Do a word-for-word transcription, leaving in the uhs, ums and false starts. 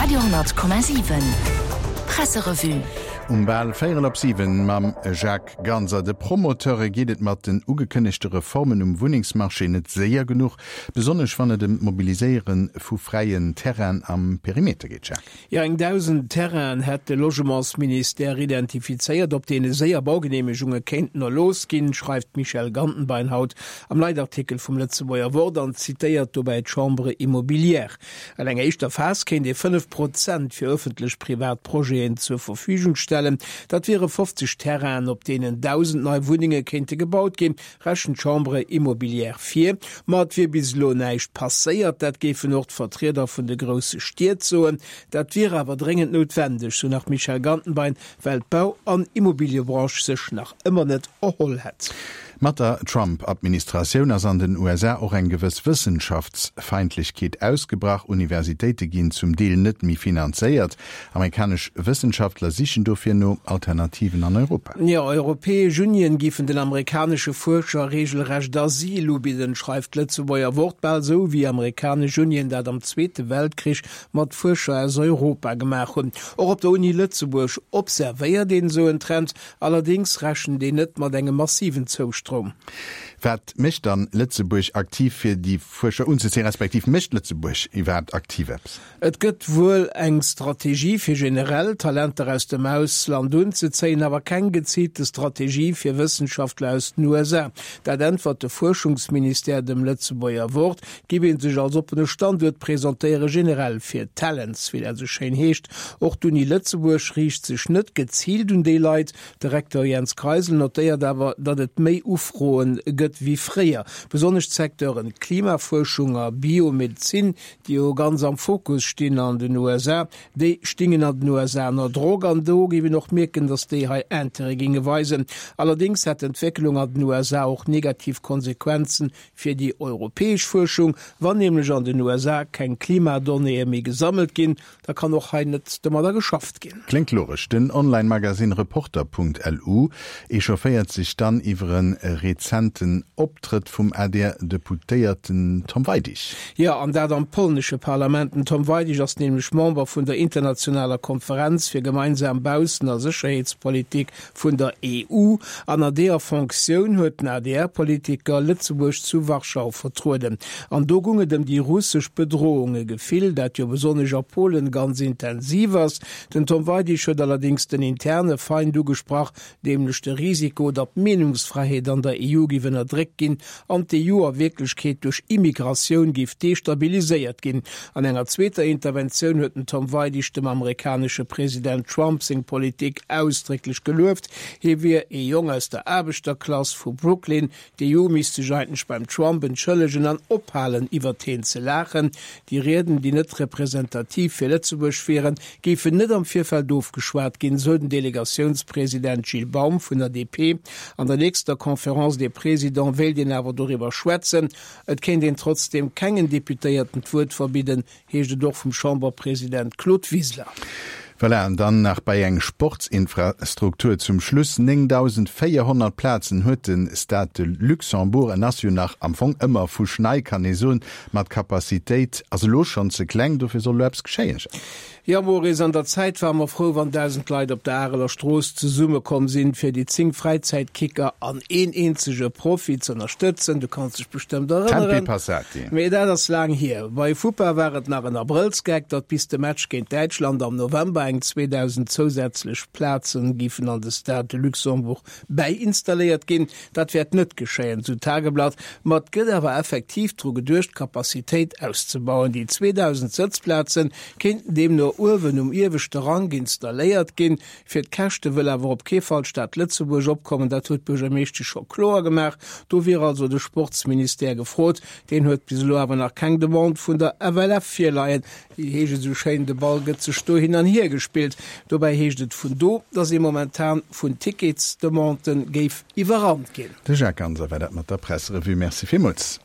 Radio honnert Komma siwen Presserevue. Um bal véierel op siwen mam Jacques Ganser. De Promoteure geet et mat den ugekënnegte Reformen um Wunnengsmarché net séier genuch, besonnesch wann et ëm d'Mobiliséiere vu fräien Terrainen am Perimeter geet. Jacques. Jo, eng dausend Terrainen hätt de Logementsministère identifizéiert, op deene séier Baugeneemegunge kéinten erlooss ginn, schreift d'Michèle Gantenbein haut am Leitartikel vum Lëtzebuerger Wort an zitéiert dobäi d'Chambre immobilière. An enger éischter Phas kéint ee fënnef Prozent fir ëffentlech-privat Projeten zur Verfügung stellen. Dat wiere fofzeg Terrainen, op deenen dausend nei Wunnenge kéinte gebaut ginn, rechent d'Chambre immobilière vir. Ma et wier bis elo näischt passéiert, dat géifen och d'Vertrieder vun de grousse Stied soen. Dat wier awer dréngend noutwendeg, sou nach d'Michèle Gantenbein, well d'Bau an Immobiliëbranche sech nach ëmmer net erholl hätt. Mat der Trump-Administratioun ass an den U S A och eng gewëss Wëssenschaftsfeindlechkeet ausgebrach. Universitéite ginn zum Deel net méi finanzéiert. Amerikanesch Wëssenschaftler sichen dofir no Alternativen an Europa. Jo, europäesch Unien géifen den amerikanesche Fuerscher reegelrecht Asyl ubidden, schreift d'Lëtzebuerger Wort, bal sou wéi amerikanesch Unien dat am Zweete Weltkrich mat Fuerscher aus Europa gemaach hunn. Och op der Uni Lëtzebuerg observéiert een esou en Trend, allerdéngs rechent een net mat engem massiven Zoustroom. Wat mécht dann Lëtzebuerg aktiv fir déi Fuerscher unzezéien, respektiv mécht Lëtzebuerg iwwerhaapt aktiv eppes? Et gëtt wuel eng Strategie fir generell Talenter aus dem Ausland unzezéien, awer keng geziilte Strategie fir Wëssenschaftler aus den U S A. Dat äntwert de Fuerschungsministère dem Lëtzebuerger Wort, giff ee sech als oppene Standuert presentéiere, generell fir Talents, wéi dat esou schéin heescht. Och d'Uni Lëtzebuerg riicht sech net geziilt un déi Leit. De Rektor Jens Kreisel notéiert awer, datt et méi Ufroen gëtt wéi fréier. Besonnesch d'Secteuren Klimafuerschung a Biomedezin, déi jo ganz am Fokus stinn an den U S A, déi stingen an den U S A ënner Drock an do géif een och mierken, datt déi hei Intérêt ginge weisen. Allerdéngs hätt d'Entwécklung an den U S A och negativ Konsequenzen fir déi europäesch Fuerschung. Wann nämlech an den U S A keng Klimadonnéeë méi gesammelt ginn, da kann och hei net domadder geschafft ginn. Kléngt logesch. Den Online-Magazin Reporter punkt L U echaufféiert sech dann iwwer en rezenten Optrëtt vum A D R-Deputéierten Tom Weidig. Jo, an dat am polnesche Parlament. Den Tom Weidig ass nämlech Member vun der internationaler Konferenz fir gemeinsam Baussen- a Sécherheetspolitik vun der E U. An an deeër Fonctioun huet den A D R-Politiker Lëtzebuerg zu Warschau vertrueden. An do gung et ëm déi russesch Bedrohung, e Gefill, dat jo besonnesch a Polen ganz intensiv ass. Den Tom Weidig huet allerdéngs den interne Feind ugesprach, nämlech de Risiko, datt d'Meenungsfräiheet an der E U géif ënnerdréckt ginn an d'E U a Wierklechkeet duerch Immigratioun géif destabiliséiert ginn. An enger zweeter Interventioun huet den Tom Weidig dem amerikanesche President Trump seng Politik ausdrécklech gelueft. Hie wier ee Jong aus der Aarbechterklass vu Brooklyn. D'E U misst sech eigentlech beim Trump entschëllegen an ophalen, iwwer hien ze laachen. Déi Rieden, déi net representativ fir Lëtzebuerg wieren, géifen net am Virfeld ofgeschwat ginn, sou den Delegatiounspräsident Gilles Baum vun der D P. An der nächster Conférence des Présidents wéilt een awer doriwwer schwätzen. Et kéint een trotzdem kengen Deputéierten d'Wuert verbidden, heescht et och vum Chamberpräsident Claude Wiseler. Voilà, an dann nach bei eng Sportsinfrastruktur zum Schluss. néngdausendvéierhonnert Plazen huet den Stade de Luxembourg. En ass jo nach am Fong ëmmer vu Schnei, kann ee soen, mat Kapazitéit ass elo schonn ze kleng, dofir soll elo eppes geschéien. Ja, Maurice, an der Zäit war mer frou, wann dausend Leit op der Areler Strooss zesummekomm sinn, fir déi zéng Fräizäitkicker an een eenzege Profi ze ënnerstëtzen. Du kanns dech bestëmmt erënneren. Tempi passati. Mee dat ass laang hier. Bei Fupa war et nach en Abrëllsgag, datt bis de Match géint Däitschland am November eng zweedausend zousätzlech Plazen giffen an de Stade de Luxembourg bäinstalléiert ginn. Dat wäert net geschéien, sou Tageblatt. Ma et gëtt awer effektiv dru geduecht, d'Kapazitéit auszebauen. Déi zweedausend Sëtzplazen kéinten deemno uewen um ieweschte Rang installéiert ginn. Fir d'Käschte wëll awer op kee Fall d'Stad Lëtzebuerg opkommen. Dat huet d'Buergermeeschtesch scho kloer gemaach. Do wier also de Sportsministère gefrot. Deen huet bis elo awer nach keng Demande vun der F L F virleien. Wéi heescht et sou schéin, de Ball gëtt sech do hin an hier gespillt. Dobäi heescht et vun do, datt ee momentan vun Ticketsdemanden géif iwwerrannt ginn. De Jacques Ganser war dat mat der Presserevue. Merci villmools.